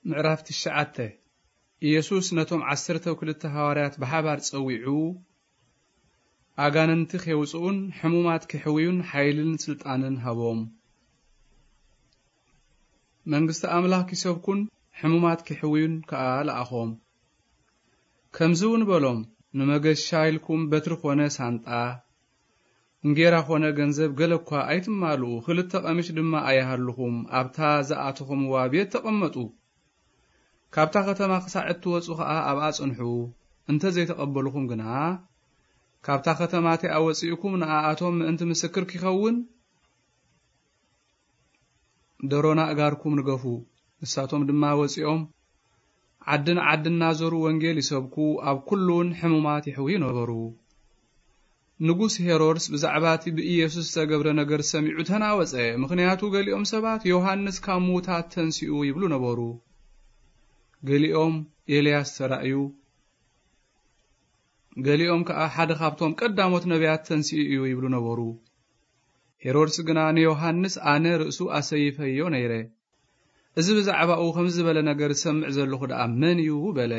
ምዕራፍ ትሽዓተ። ኢየሱስ ነቶም ዓሰርተው ክልተ ሃዋርያት ብሓባር ጸዊዑ፣ ኣጋንንቲ ኼውጽኡን ሕሙማት ኪሕውዩን ሓይልን ስልጣንን ሃቦም። መንግስቲ ኣምላኽ ኪሰብኩን ሕሙማት ኪሕውዩን ከኣ ለኣኾም። ከምዚ እውን በሎም፣ ንመገሻ ኢልኩም በትሪ ኾነ ሳንጣ፣ እንጌራ ኾነ ገንዘብ ገለ እኳ ኣይትማልኡ፣ ክልተ ቀሚሽ ድማ ኣይሃልኹም። ኣብታ ዝኣተኹምዋ ቤት ተቐመጡ። ካብታ ከተማ ክሳዕ እትወጹ ኸኣ ኣብኣ ጽንሑ። እንተ ዘይተቐበሉኹም ግና፣ ካብታ ከተማ እቲኣ ወጺእኩም ንኣኣቶም ምእንቲ ምስክር ኪኸውን፣ ደሮና ኣእጋርኩም ንገፉ። ንሳቶም ድማ ወጺኦም፣ ዓዲ ንዓዲ እናዞሩ ወንጌል ይሰብኩ፣ ኣብ ኩሉውን ሕሙማት የሕውዩ ነበሩ። ንጉስ ሄሮድስ ብዛዕባ እቲ ብኢየሱስ ዝተገብረ ነገር ሰሚዑ ተናወጸ። ምኽንያቱ፣ ገሊኦም ሰባት፣ "ዮሃንስ ካብ ምዉታት ተንሲኡ" ይብሉ ነበሩ። ገሊኦም፣ "ኤልያስ ተራእዩ"፣ ገሊኦም ከኣ፣ "ሓደ ካብቶም ቀዳሞት ነቢያት ተንሲኡ እዩ" ይብሉ ነበሩ። ሄሮድስ ግና ንዮሃንስ፣ "ኣነ ርእሱ ኣሰይፈዮ ነይረ። እዚ ብዛዕባኡ ከምዚ ዝበለ ነገር ዝሰምዕ ዘለኹ ደኣ መን እዩ?" በለ።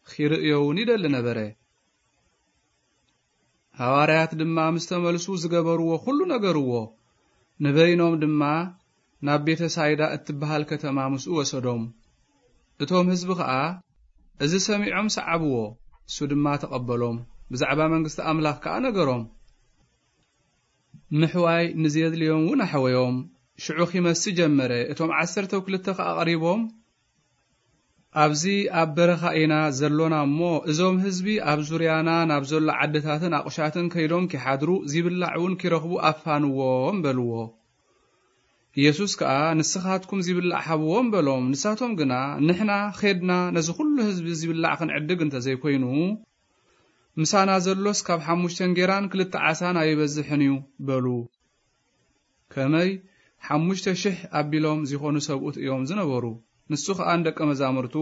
ኺርእዮ እውን ይደሊ ነበረ። ሃዋርያት ድማ ምስ ተመልሱ ዝገበርዎ ኩሉ ነገርዎ። ንበይኖም ድማ ናብ ቤተ ሳይዳ እትበሃል ከተማ ምስኡ ወሰዶም። እቶም ህዝቢ ኸኣ እዚ ሰሚዖም ሰዓብዎ። እሱ ድማ ተቐበሎም። ብዛዕባ መንግስቲ ኣምላኽ ከኣ ነገሮም። ምሕዋይ ንዜድልዮም እውን ኣሕወዮም። ሽዑ ኺመሲ ጀመረ። እቶም ዓሰርተው ክልተ ኸኣ ቀሪቦም፣ "ኣብዚ ኣብ በረኻ ኢና ዘሎና እሞ፣ እዞም ህዝቢ ኣብ ዙርያና ናብ ዘሎ ዓድታትን ኣቑሻትን ከይዶም ኪሓድሩ፣ ዚብላዕ እውን ኪረኽቡ ኣፋንዎም" በልዎ። ኢየሱስ ከኣ፣ "ንስኻትኩም ዚብላዕ ሃብዎም" በሎም። ንሳቶም ግና፣ "ንሕና ኼድና ነዚ ኹሉ ህዝቢ ዚብላዕ ክንዕድግ እንተ ዘይኮይኑ፣ ምሳና ዘሎስ ካብ ሓሙሽተ እንጌራን ክልተ ዓሳን ኣይበዝሕን እዩ" በሉ። ከመይ ሓሙሽተ ሽሕ ኣቢሎም ዚኾኑ ሰብኡት እዮም ዝነበሩ። ንሱ ኸኣ ንደቀ መዛሙርቱ፣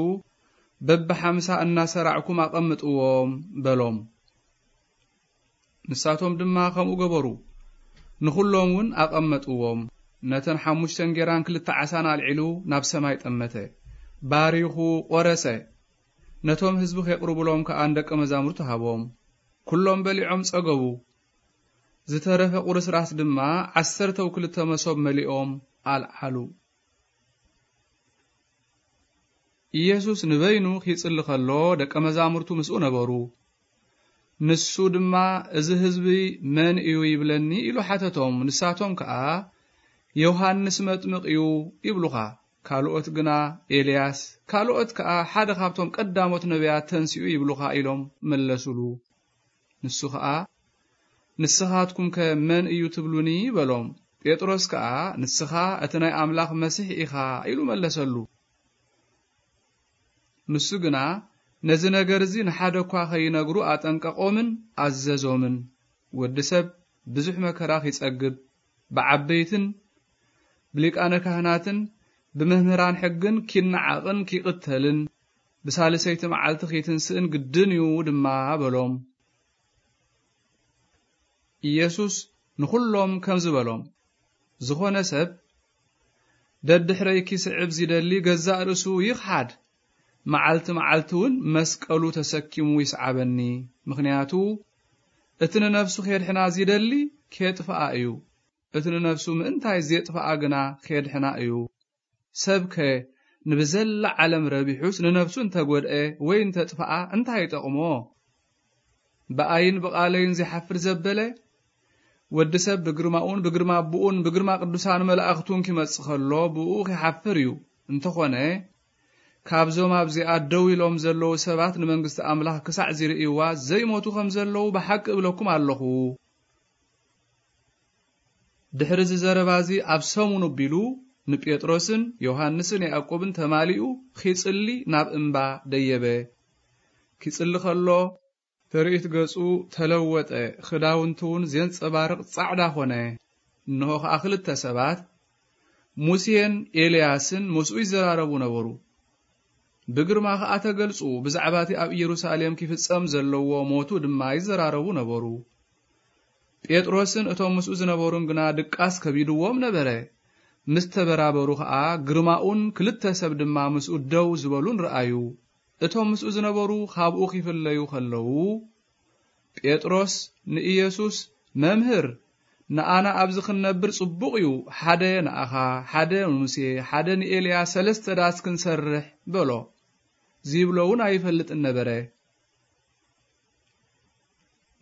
"በብሓምሳ እናሰራዕኩም ኣቐምጥዎም" በሎም። ንሳቶም ድማ ከምኡ ገበሩ። ንኹሎም እውን ኣቐመጥዎም። ነተን ሓሙሽተ እንጌራን ክልተ ዓሳን ኣልዒሉ ናብ ሰማይ ጠመተ። ባሪኹ ቖረሰ። ነቶም ህዝቢ ኼቕርቡሎም ከኣ ንደቀ መዛሙርቱ ሃቦም። ኩሎም በሊዖም ጸገቡ። ዝተረፈ ቁርስራስ ድማ ዓሰርተው ክልተ መሶብ መሊኦም ኣልዓሉ። ኢየሱስ ንበይኑ ኺጽሊ ኸሎ፣ ደቀ መዛሙርቱ ምስኡ ነበሩ። ንሱ ድማ፣ "እዚ ህዝቢ መን እዩ ይብለኒ?" ኢሉ ሓተቶም። ንሳቶም ከኣ፣ "ዮሃንስ መጥምቕ እዩ ይብሉኻ፣ ካልኦት ግና ኤልያስ፣ ካልኦት ከኣ ሓደ ካብቶም ቀዳሞት ነቢያት ተንሲኡ ይብሉኻ" ኢሎም መለሱሉ። ንሱ ኸኣ፣ "ንስኻትኩምከ መን እዩ ትብሉኒ?" በሎም። ጴጥሮስ ከኣ፣ "ንስኻ እቲ ናይ ኣምላኽ መሲሕ ኢኻ" ኢሉ መለሰሉ። ንሱ ግና ነዚ ነገር እዚ ንሓደ እኳ ኸይነግሩ ኣጠንቀቖምን ኣዘዞምን። ወዲ ሰብ ብዙሕ መከራ ኺጸግብ፣ ብዓበይትን ብሊቃነ ካህናትን ብመምህራን ሕግን ኪነዓቕን ኪቕተልን፣ ብሳልሰይቲ መዓልቲ ኺትንስእን ግድን እዩ ድማ በሎም። ኢየሱስ ንኹሎም ከምዚ በሎም፣ "ዝኾነ ሰብ ደድሕረይ ኪስዕብ ዚደሊ ገዛእ ርእሱ ይኽሓድ፣ መዓልቲ መዓልቲ እውን መስቀሉ ተሰኪሙ ይስዓበኒ። ምኽንያቱ እቲ ንነፍሱ ኼድሕና ዚደሊ ኬጥፍኣ እዩ፣ እቲ ንነፍሱ ምእንታይ ዜጥፍኣ ግና ኼድሕና እዩ። ሰብከ ንብዘላ ዓለም ረቢሑስ ንነፍሱ እንተ ጐድአ ወይ እንተ ጥፍኣ እንታይ ይጠቕሞ? ብኣይን ብቓለይን ዚሓፍር ዘበለ፣ ወዲ ሰብ ብግርማኡን ብግርማ ኣቦኡን ብግርማ ቅዱሳን መላእኽቱን ኪመጽእ ኸሎ ብእኡ ኺሓፍር እዩ። እንተኾነ፣ ካብዞም ኣብዚኣ ደው ኢሎም ዘለዉ ሰባት ንመንግስቲ ኣምላኽ ክሳዕ ዚርእይዋ ዘይሞቱ ኸም ዘለዉ ብሓቂ እብለኩም ኣለኹ።" ድሕሪ እዚ ዘረባ እዚ ኣብ ሰሙኑ ኣቢሉ ንጴጥሮስን ዮሃንስን ያዕቆብን ተማሊኡ ኺጽሊ ናብ እምባ ደየበ። ኪጽሊ ኸሎ ትርኢት ገጹ ተለወጠ፣ ኽዳውንቱ እውን ዜንጸባርቕ ጻዕዳ ኾነ። እንሆ ኸኣ ክልተ ሰባት፣ ሙሴን ኤልያስን፣ ምስኡ ይዘራረቡ ነበሩ። ብግርማ ኸኣ ተገልጹ፣ ብዛዕባ እቲ ኣብ ኢየሩሳሌም ኪፍጸም ዘለዎ ሞቱ ድማ ይዘራረቡ ነበሩ። ጴጥሮስን እቶም ምስኡ ዝነበሩን ግና ድቃስ ከቢድዎም ነበረ። ምስ ተበራበሩ ኸኣ፣ ግርማኡን ክልተ ሰብ ድማ ምስኡ ደው ዝበሉን ረኣዩ። እቶም ምስኡ ዝነበሩ ካብኡ ኺፍለዩ ኸለዉ፣ ጴጥሮስ ንኢየሱስ፣ "መምህር፣ ንኣና ኣብዚ ክንነብር ጽቡቕ እዩ። ሓደ ንኣኻ፣ ሓደ ንሙሴ፣ ሓደ ንኤልያስ፣ ሰለስተ ዳስ ክንሰርሕ" በሎ። ዚብሎ እውን ኣይፈልጥን ነበረ።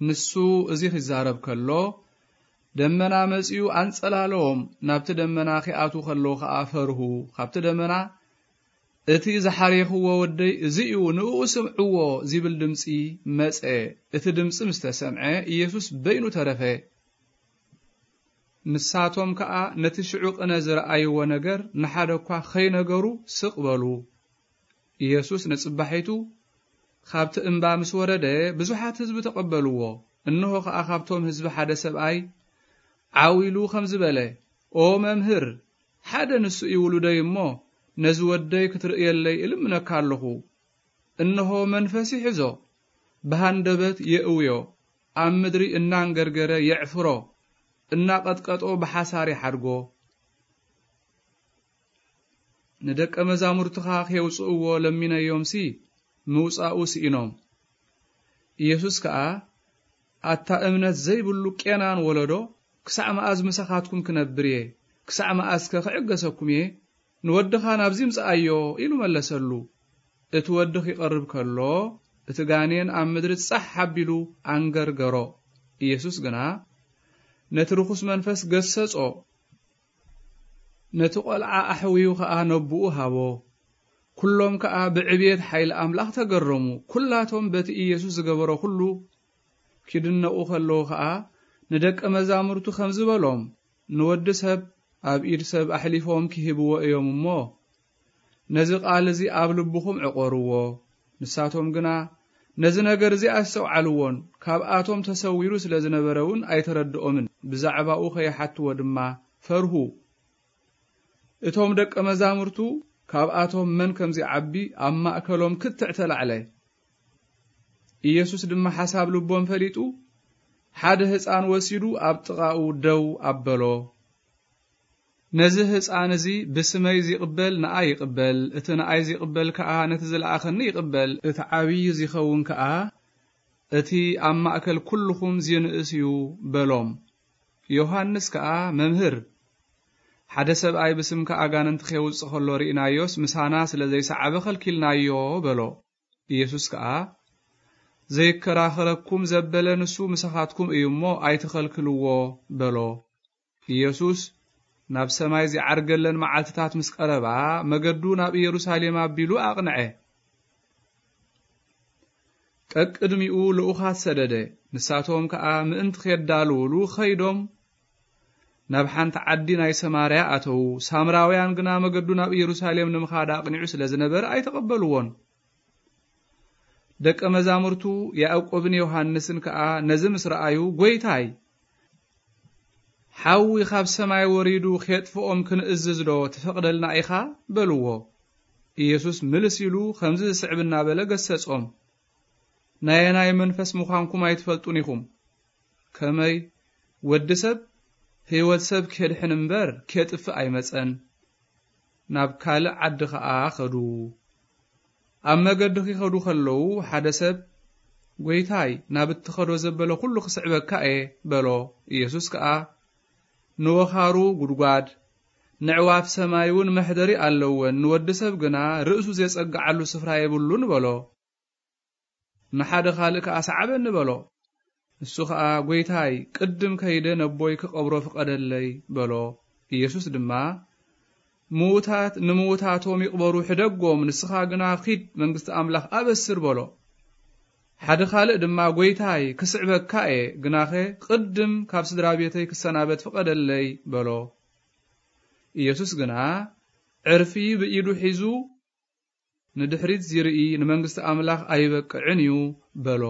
ንሱ እዚ ኺዛረብ ከሎ፣ ደመና መጺኡ ኣንጸላለዎም። ናብቲ ደመና ኺኣትዉ ከለዉ ኸኣ ፈርሁ። ካብቲ ደመና፣ "እቲ ዝሓሬኽዎ ወደይ እዚ እዩ፣ ንእኡ ስምዕዎ" ዚብል ድምጺ መጸ። እቲ ድምጺ ምስ ተሰምዐ፣ ኢየሱስ በይኑ ተረፈ። ንሳቶም ከኣ ነቲ ሽዑ ቅነ ዝረኣይዎ ነገር ንሓደ እኳ ኸይነገሩ ስቕ በሉ። ኢየሱስ ንጽባሒቱ ካብቲ እምባ ምስ ወረደ፣ ብዙሓት ህዝቢ ተቐበልዎ። እንሆ ኸኣ ካብቶም ህዝቢ ሓደ ሰብኣይ ዓው ኢሉ ኸምዚ በለ፣ "ኦ መምህር፣ ሓደ ንሱ እዩ ውሉደይ እሞ፣ ነዚ ወደይ ክትርእየለይ እልምነካ ኣለኹ። እንሆ መንፈስ ይሕዞ፣ ብሃንደበት የእውዮ፣ ኣብ ምድሪ እናንገርገረ የዕፍሮ፣ እናቐጥቀጦ ብሓሳር ይሓድጎ። ንደቀ መዛሙርትኻ ኼውጽእዎ ለሚነዮምሲ፣ ምውጻኡ ስኢኖም።" ኢየሱስ ከኣ፣ "ኣታ እምነት ዘይብሉ ቄናን ወለዶ፣ ክሳዕ መኣዝ ምሳኻትኩም ክነብር እየ? ክሳዕ መኣዝከ ክዕገሰኩም እየ? ንወድኻ ናብዚ ምጽኣዮ" ኢሉ መለሰሉ። እቲ ወዲ ኺቐርብ ከሎ፣ እቲ ጋኔን ኣብ ምድሪ ጻሕ ኣቢሉ ኣንገርገሮ። ኢየሱስ ግና ነቲ ርኹስ መንፈስ ገሰጾ። ነቲ ቈልዓ ኣሕውዩ ኸኣ ነቦኡ ሃቦ። ኵሎም ከኣ ብዕብየት ሓይሊ ኣምላኽ ተገረሙ። ኵላቶም በቲ ኢየሱስ ዝገበሮ ኵሉ ኪድነቑ ከለዉ ኸኣ፣ ንደቀ መዛሙርቱ ኸምዚ በሎም፣ "ንወዲ ሰብ ኣብ ኢድ ሰብ ኣሕሊፎም ኪህብዎ እዮም እሞ፣ ነዚ ቃል እዚ ኣብ ልብኹም ዕቖርዎ።" ንሳቶም ግና ነዚ ነገር እዚ ኣስተውዓልዎን፣ ካብኣቶም ተሰዊሩ ስለ ዝነበረ እውን ኣይተረድኦምን። ብዛዕባኡ ኸይሓትዎ ድማ ፈርሁ። እቶም ደቀ መዛሙርቱ ካብኣቶም መን ከም ዚዓቢ ኣብ ማእከሎም ክትዕ ተላዕለ። ኢየሱስ ድማ ሓሳብ ልቦም ፈሊጡ፣ ሓደ ህጻን ወሲዱ ኣብ ጥቓኡ ደው ኣበሎ። "ነዚ ህጻን እዚ ብስመይ ዚቕበል ንኣይ ይቕበል፣ እቲ ንኣይ ዚቕበል ከኣ ነቲ ዝለኣኸኒ ይቕበል፣ እቲ ዓብዪ ዚኸውን ከኣ እቲ ኣብ ማእከል ኵልኹም ዚንእስ እዩ" በሎም። ዮሃንስ ከኣ፣ "መምህር፣ ሓደ ሰብኣይ ብስምካ ኣጋንንቲ ኼውጽእ ኸሎ ርኢናዮስ፣ ምሳና ስለ ዘይሰዓበ ኸልኪልናዮ" በሎ። ኢየሱስ ከኣ፣ "ዘይከራኸረኩም ዘበለ ንሱ ምሳኻትኩም እዩ እሞ፣ ኣይትኸልክልዎ" በሎ። ኢየሱስ ናብ ሰማይ ዚዓርገለን መዓልትታት ምስ ቀረባ፣ መገዱ ናብ ኢየሩሳሌም ኣቢሉ ኣቕንዐ። ቀቅድሚኡ ልኡኻት ሰደደ። ንሳቶም ከኣ ምእንቲ ኼዳልዉሉ ኸይዶም፣ ናብ ሓንቲ ዓዲ ናይ ሰማርያ ኣተዉ። ሳምራውያን ግና መገዱ ናብ ኢየሩሳሌም ንምኻድ ኣቕኒዑ ስለ ዝነበረ ኣይተቐበልዎን። ደቀ መዛሙርቱ ያዕቆብን ዮሃንስን ከኣ ነዚ ምስ ረኣዩ፣ "ጐይታይ፣ ሓዊ ኻብ ሰማይ ወሪዱ ኼጥፍኦም ክንእዝዝ ዶ ትፈቕደልና ኢኻ?" በልዎ። ኢየሱስ ምልስ ኢሉ ኸምዚ ዝስዕብ እናበለ ገሰጾም፣ "ናይ ኣየናይ መንፈስ ምዃንኩም ኣይትፈልጡን ኢኹም። ከመይ ወዲ ሰብ ህይወት ሰብ ኬድሕን እምበር ኬጥፍእ ኣይመጸን።" ናብ ካልእ ዓዲ ኸኣ ኸዱ። ኣብ መገዲ ኺኸዱ ኸለዉ፣ ሓደ ሰብ፣ "ጐይታይ፣ ናብ እትኸዶ ዘበለ ኹሉ ክስዕበካ እየ" በሎ። ኢየሱስ ከኣ፣ "ንወኻሩ ጒድጓድ፣ ነዕዋፍ ሰማይ እውን መሕደሪ ኣለወን፣ ንወዲ ሰብ ግና ርእሱ ዜጸግዓሉ ስፍራ የብሉን" በሎ። ንሓደ ኻልእ ከኣ፣ "ሰዓበኒ" በሎ። ንሱ ኸኣ፣ "ጐይታይ፣ ቅድም ከይደ ነቦይ ክቐብሮ ፍቐደለይ" በሎ። ኢየሱስ ድማ፣ "ምዉታት ንምዉታቶም ይቕበሩ፣ ሕደጎም፣ ንስኻ ግና ኺድ፣ መንግስቲ ኣምላኽ ኣበስር" በሎ። ሓደ ኻልእ ድማ፣ "ጐይታይ፣ ክስዕበካ እየ፣ ግናኸ ቅድም ካብ ስድራ ቤተይ ክሰናበት ፍቐደለይ" በሎ። ኢየሱስ ግና ዕርፊ ብኢዱ ሒዙ፣ "ንድሕሪት ዚርኢ ንመንግስቲ ኣምላኽ ኣይበቅዕን እዩ" በሎ።